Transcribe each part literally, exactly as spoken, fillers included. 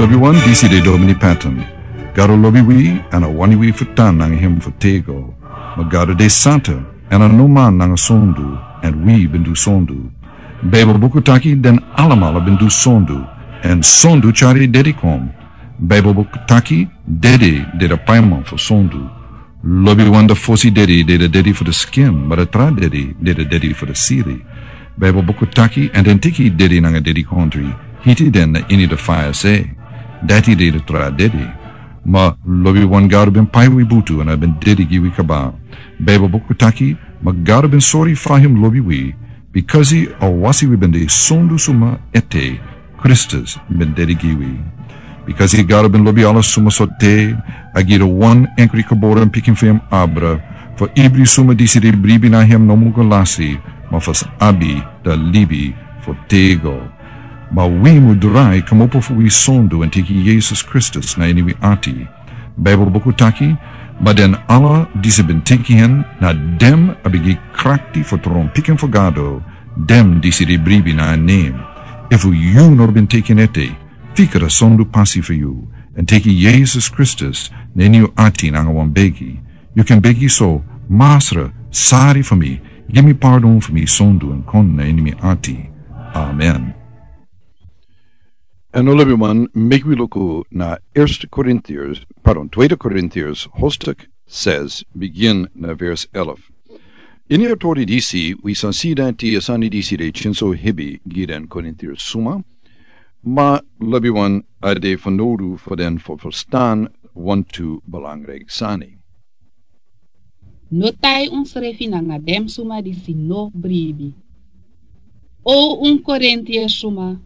Lobi wan, disi de Domini Patton. Gado lobi wi, èn a wani wi fu tan nanga en fu tego. Ma Gado de santa, èn a no man nanga sondu, èn wi ben du sondu. Beibel buku taki den alamala ben du sondu, èn sondu tyari dede kon. Beibel buku taki dede de a paiman fu sondu. Lobi wan, a fosi dede de a dede fu a skin, ma a tra dede de a dede fu a siri. Beibel buku taki, èn den teki dede nanga dedikondre, hiti den na ini a faya se. Dati de a tra dede. Ma lobi wan, Gado ben pai wi butu èn a ben dede gi wi kaba. Beibel buku taki, ma Gado ben sori fa en lobi wi, bikasi a wasi wi ben de sondu suma ete, Kristus ben dede gi wi. Bikasi Gado ben lobi ala suma sortu, a gi a wan enkri gebore pikin fu en abra, fu ibri suma disi e bribi na en no musu lasi, ma fu sa abi a libi fu tego. Ma wi mu drai kmopo fu wi sondu èn teki Yesus Kristus na ini wi ati. Beibel buku taki, ma den ala disi ben teki en, na den a ben gi krakti fu tron pikin fu Gado, den disi e bribi na en nen. Efu yu no ben teki en ete, fika a sondu pasi fu yu, èn teki Yesus Kristus na ini yu ati nanga wan begi. Yu kan begi so: Masra, sori fu mi, gi mi pardon fu mi sondu èn kon na ini mi ati. Amen. Èn lobi wan, meki wi luku na Eerste Korintiërs, pardon, Tweede Korintiërs, hoofdstuk zes, begin na vers elf. Ini a tori disi, wi sa si dati a sani disi de tyari so hebi gi den Korintiërs suma, ma lobi wan, a de fanowdu fu den fu ferstan wantu belangrijk sani. No tai unsrefi nanga den suma disi no bribi. O un Korintiërs suma,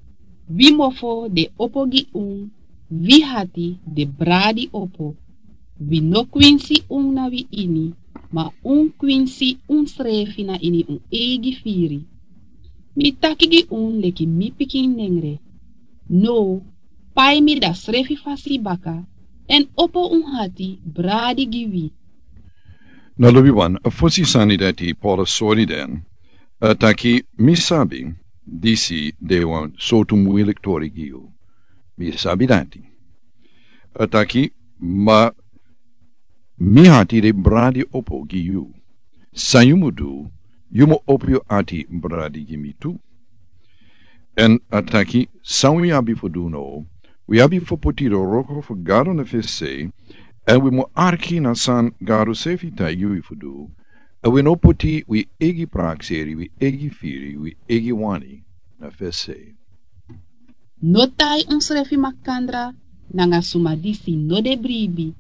wi mofo de opo gi un, wi ati de bradi opo. Wi no kwinsi un na wi ini, ma un kwinsi unsrefi na ini un eigi firi. Mi taki gi un leki mi pikin nengre. No, pai mi a srefi fasi baka, èn opo un ati bradi gi wi. Na lobi wan, a fosi sani dati Paulus sori den, a taki: Mi sabi disi de wan sortu muilik tori gi yu. Mi sabi dati. A taki: Ma mi ati de bradi opo gi yu. San yu mu du, yu mu opo yu ati bradi gi mi tu. Èn a taki: San wi abi fu du now, wi abi fu poti a wroko fu Gado na fesi, èn wi mu arki na san Gado srefi taigi wi fu du, èn wi no poti wi eigi prakseri, wi eigi firi, wi eigi wani na fesi. No tai unsrefi makandra nanga suma disi no de bribi,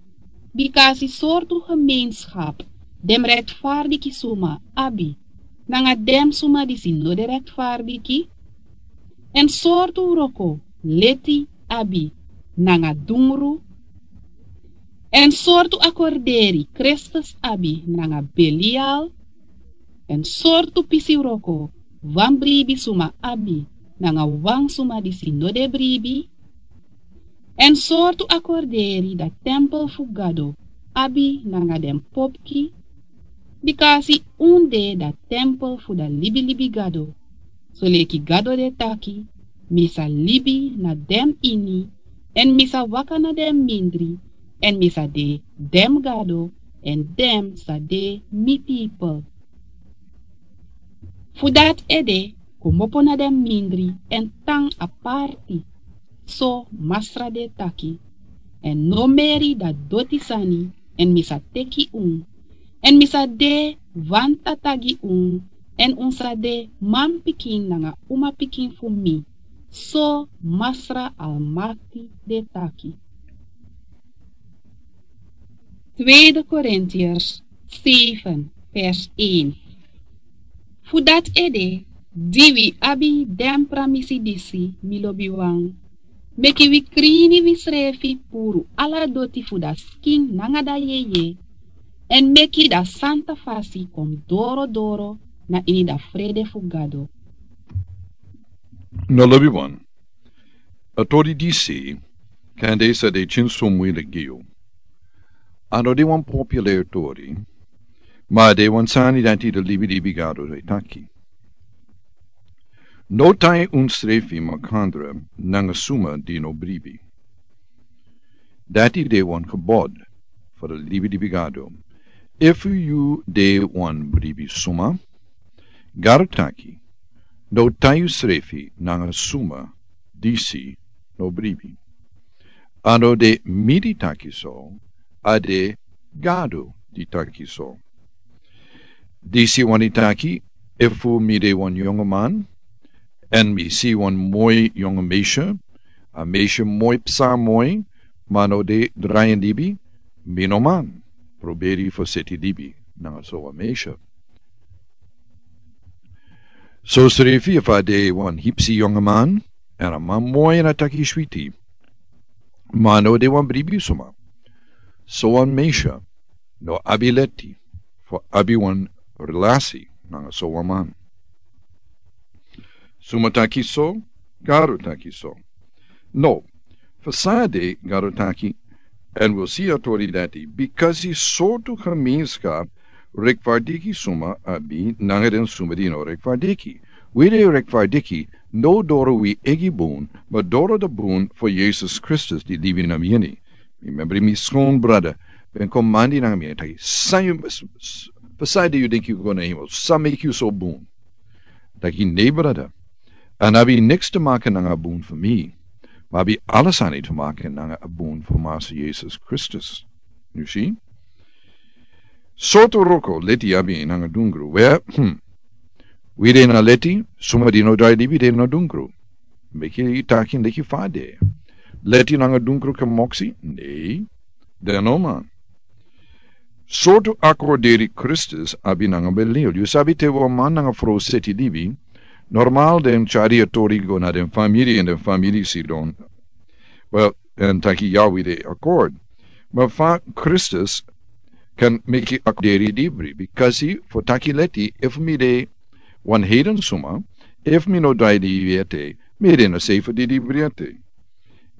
bikasi sortu gemeenschap den rechtvaardige suma abi nanga den suma disi no de rechtvaardige, èn sortu wroko leti abi nanga dungru, èn sortu akorderi Kristus abi nanga Belial, èn sortu pisi wroko wan bribi suma abi nanga wan suma disi no de bribi, èn sortu akorderi a tempel fu Gado abi nanga den popki, bikasi un de a tempel fu a libilibi Gado, soleki Gado de taki: Mi sa libi na den ini, èn mi sa waka na den mindri, èn mi sa de den Gado, èn den sa de mi pipel. Fu dati ede, komopo na den mindri èn tan aparti, so Masra de taki, èn no meri a doti sani, èn mi sa teki un, èn mi sa de wan tata gi un, èn un sa de manpikin nanga umapikin fu mi, so Masra Almakti de taki. Tweede Korintiërs zeven, vers een. Fu dati ede, di wi abi den pramisi disi, mi lobiwan, meki wi krini wisrefi puru ala doti fu a skin nanga a jeje, èn meki a santa fasi kon dorodoro na ini a frede fu Gado. No lobiwan, a tori disi, kande sa de tyari so muilik gi yu. A no de wan popular tori, ma a de wan sani dati a libilibi Gado e taki. No tai unsrefi makandra nanga suma di no bribi. Dati de wan gebod fu de libi di bigado. Efu yu de wan bribi suma, Gado taki, no tai yusrefi nanga suma disi no bribi. A no de mi di taki so, a de Gado di taki so. Disi wani taki, efu mi de wan yongu man, èn mi si wan moi yongu meisya, a meisya moi psa moi, ma no de drai en libi, mi no man pruberi fu seti libi nanga so wan meisya. So srefi efu a de wan hipsi yongu man, èn a man moi èn a taki switi, ma no de wan bribi suma, so wan meisya no abi leti fu abi wan relasi nanga so wan man. Suma taki so, Gado taki so. No, fu san de Gado taki, èn wi si a tori dati, bikasi sortu gemeenskap rechtvaardig suma abi nanga den suma di no rechtvaardig. Wi di rechtvaardig, no doro wi eigi bun, ma doro de bun fu Yesus Kristus di libi na mi ini. Mi membri mi skon brada ben kon mandi nanga mi, èn taki, san yu, fu san de yu denki yu go na hemel? San meki yu so bun? Taki, nei brada, a no abi niks te maken nanga a bun fu mi, ma abi ala sani te maken nanga a bun fu Massa Yesus Kristus. Yu si? Sortu wroko leti abi nanga dungru? We, hmm. Wi de na leti, suma di no drai libi de na dungru. Meki yu taki leki fa de. Leti nanga dungru kan moksi? Nei, den no man. Sortu akorderi Kristus abi nanga Belial? Yu sabi te wan man nanga frow seti libi, normal den tyari a tori go na den famiri èn den famiri sidon. Wel, èn taki ya wi de akord. Ma fa Kristus kan meki akorderi dibri? Bikasi fu taki leti, efu mi de wan heiden suma, efu mi no drai libi ete, mi de na sefu di dibri ete.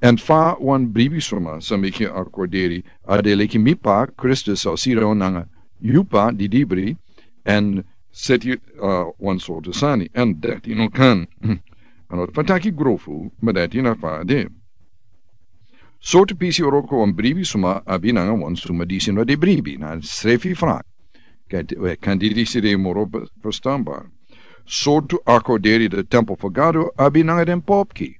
Èn fa wan bribi suma sa meki akorderi? A de leki mi pa Kristus sa sidon nanga yu pa di dibri èn seti, uh, wan sortu sani, èn dati no kan. A no fa taki grofu, ma dati na fa de. Sortu pisi wroko wan bribi suma abi nanga wan suma disi no de bribi? Na srefi frak. Kan, eh, kan disi de moro be-, verstanbar. Sortu akorderi de tempel fu Gado abi nanga den popki?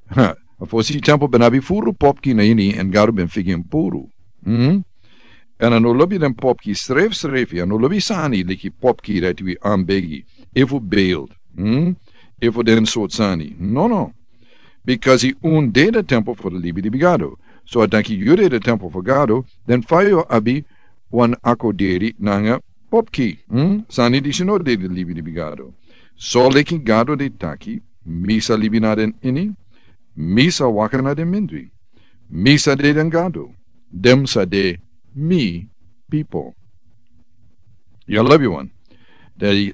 Ha, a fosi tempel ben abi furu popki na ini, èn Gado ben figi en puru. Hmm? Èn a no lobi den popki srefsrefi, a no lobi sani leki popki dati wi anbegi, efu beeld, hmm, efu den sortu sani. No, no. Bikasi un de de tempel fu de libi di bigado. So a taki yu de de tempel fu Gado, den fa yu abi wan akorderi nanga popki, hmm? Sani disi no de de libi di bigado. So leki Gado de taki, mi sa libi na den ini, mi sa waka na den mindri, mi sa de den Gado, den sa de mi pipel. Yu lobi wan. De,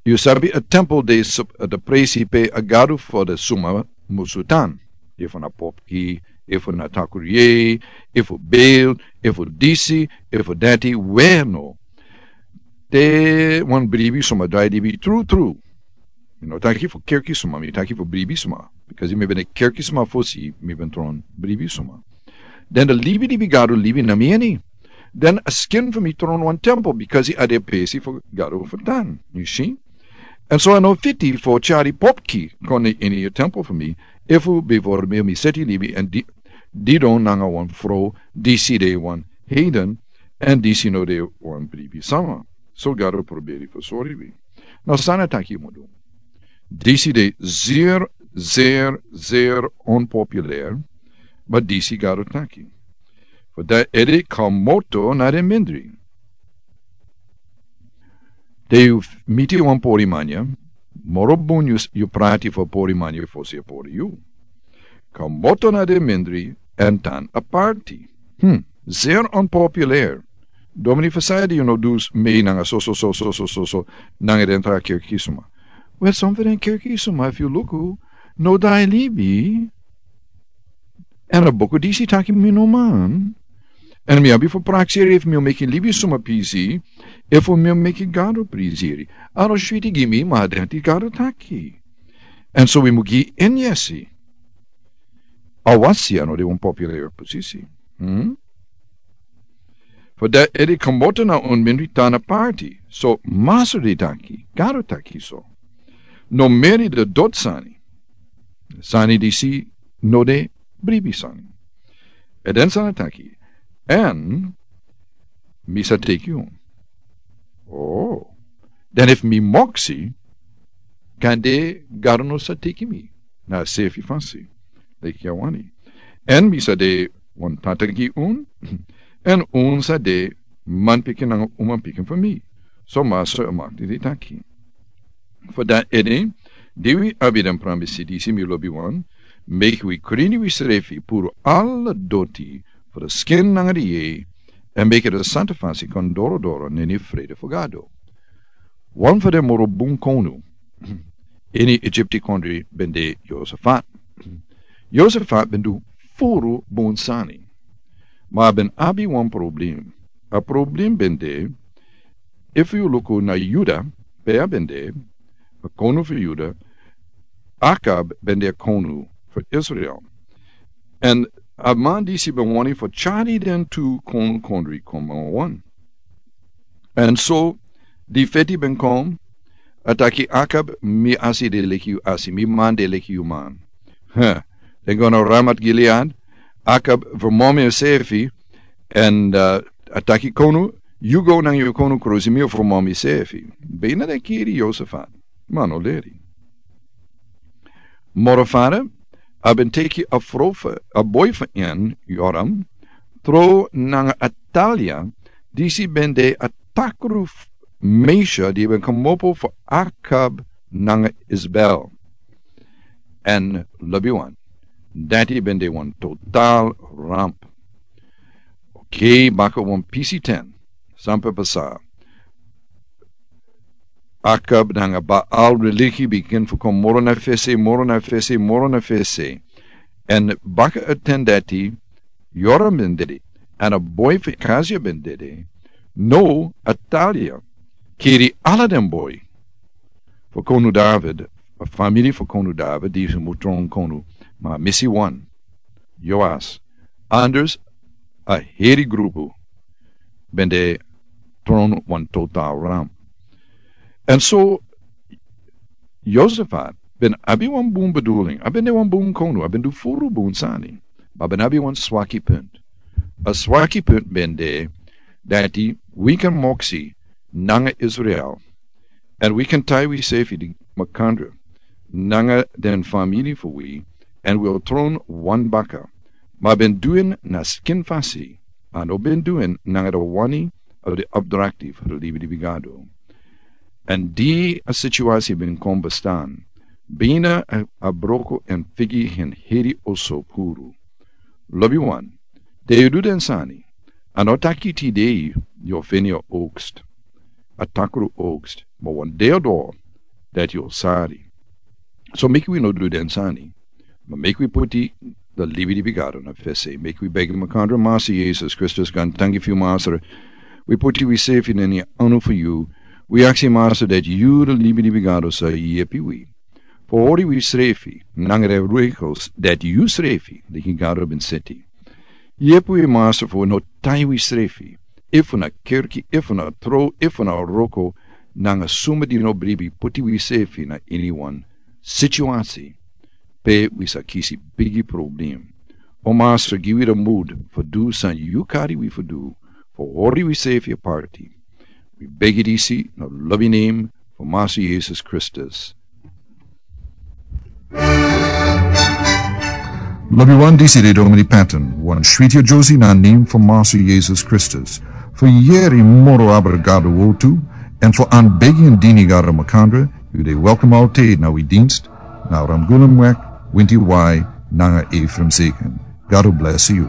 yu sabi a tempel de sup-, de presi pe a Gado fu de suma musu tan. Efu na popki, efu na takuri, efu beeld, efu disi, efu dati, weno. Te wan bribi suma drai libi tru tru. Mi no taki fu kerki suma, mi taki fu bribi suma. Bikasi mi ben de kerki suma fosi, mi ben tron bribi suma. Den de libi di bigado libi na mi ini. Den a skin fu mi tron wan tempel, bikasi a de presi fu Gado fu tan. Yu si? Èn so a no fiti fu tyari popki kon na ini yu tempel fu mi, efu bifo mi, mi seti libi èn di-, didon nanga wan frow disi de wan heiden, èn disi no de wan bribi suma. So Gado pruberi fu sori wi. Now san a taki yu mu du. Disi de zeer, zeer, zeer onpopulair, ma disi Gado taki. Fu dati ede komoto na den mindri. Te yu f-, miti wan pori man ya, moro bun yu s-, yu prati fu a pori man ya fosi a pori yu. Komoto na den mindri èn tan aparti. Hmm, zeer onpopulair. Domini, fu san ede yu no du mei nanga so, so, so, nanga den tra kerki suma? Wel, son fu den kerki suma, efu yu luku, no drai libi. Èn a buku disi taki mi no man. Èn mi abi fu prakseri efu mi o meki libi suma pisi, efu mi o meki Gado prisiri. A no switi gi mi, ma dati Gado taki. Èn so wi mu gi en yesi. Awasi a no de wan populeri posisi. Hmm? Fu dati ede komoto na un mindri tan na parti. So Masra de taki, Gado taki so. No meri de doti sani. Sani disi no de bribi sani. Èn den Satan taki, èn mi sa teki yu. Oh. Den efu mi moksi, kande Gado no sa teki mi na a sefi fasi leki a wani. Èn mi sa de wan tata gi un, èn un sa de manpikin nanga umapikin fu mi. So Masra e makti de taki. Fu dati ede, di wi abi den pramisi disi, mi lobiwan, meki wi krini wisrefi, puru ala doti fu den skin nanga den yeye, èn meki den santa fasi kon dorodoro na ini frede fu Gado. Wan fu den moro bun konu ini Egipti kondre ben de Yosafat. Yosafat ben du furu bun sani. Ma a ben abi wan problem. A problem ben de, efu yu luku na Yuda, pe a ben de, a konu fu Yuda, Akab ben de a konu fu Israel. Èn a man disi ben wani fu tyari den tu konu kondre kon nanga wan. Èn so di feti ben kon, a taki Akab, mi asi de leki yu asi, mi man de leki yu man. Huh. Den go na Ramat Gilead, Akab fermomi ensefi, èn, uh, a taki konu, yu go nanga yu konu krusi, mi o fermomi misefi. Bina den kiri Yosafat. Ma a no leri. Moro fara, a ben teki a frow fu, a boi fu en, Yoram, tron nanga Atalia, disi ben de a takru f-, meisyo di ben komopo fu Akab nanga Isbel. Èn lobiwan, dati ben de wan total ramp. Oké, baka wan pisi ten. San ben pasa? Akab nanga Baal religi bigin fu kon moro na fesi, moro na fesi, moro na fesi. Èn baka a ten dati, Yoram ben dede, èn a boi fu Akazia ben dede. Now Atalia kiri ala den boi fu konu David, a famiri fu konu David, disi mu tron konu, ma a misi wan, Yoas. Anders a heri grupu ben de tron wan total ramp. Èn so Yosafat ben abi wan bun bedoeling, a ben de wan bun konu, a ben du furu bun sani, ma a ben abi wan swaki punt. A swaki punt ben de dati wi kan moksi nanga Israel, èn wi kan tai wisefi di makandra nanga den famiri fu wi, èn wi o tron wan baka. Ma a ben du en na skin fasi, a no ben du en nanga den wani of den opdrakti fu den libilibi Gado. Èn di a situasi ben kon bestan, bina a, a broko èn figi en heri oso puru. Lobiwan, te yu du den sani, a no taki tide yu o feni a oogst, a takru oogst, ma wan dei o doro dati yu o sari. So meki wi no du den sani, ma meki wi poti den libilibi Gado na fesi. Meki wi begi makandra. Masra Yesus Kristus, gaantangi fu yu Masra. Wi poti wisefi na ini anu fu yu. Wi aksi Masra dati yu den libilibi Gado sa yepi wi fu hori wisrefi nanga den regels dati yusrefi, leki Gado, ben seti. Yepi wi Masra fu no tai wisrefi, efu na kerki, efu na tron, efu na wroko, nanga suma di no bribi, poti wisefi na ini wan situasi pe wi sa kisi bigi problem. O Masra, gi wi den moed fu du san yu kari wi fu du, fu hori wisefi aparti. Wi begi disi na lobi nen fu Masra Yesus Kristus. Lobiwan, disi de Domini Patton, wan switi yeye na nen fu Masra Yesus Kristus. Fu yere moro abra Gado wortu, èn fu anbegi èn dini Gado makandra, yu de welkom altijd na wi dienst, na Ramgulumweg, Winti Wai, nanga Ephraim Zeken. God bless you.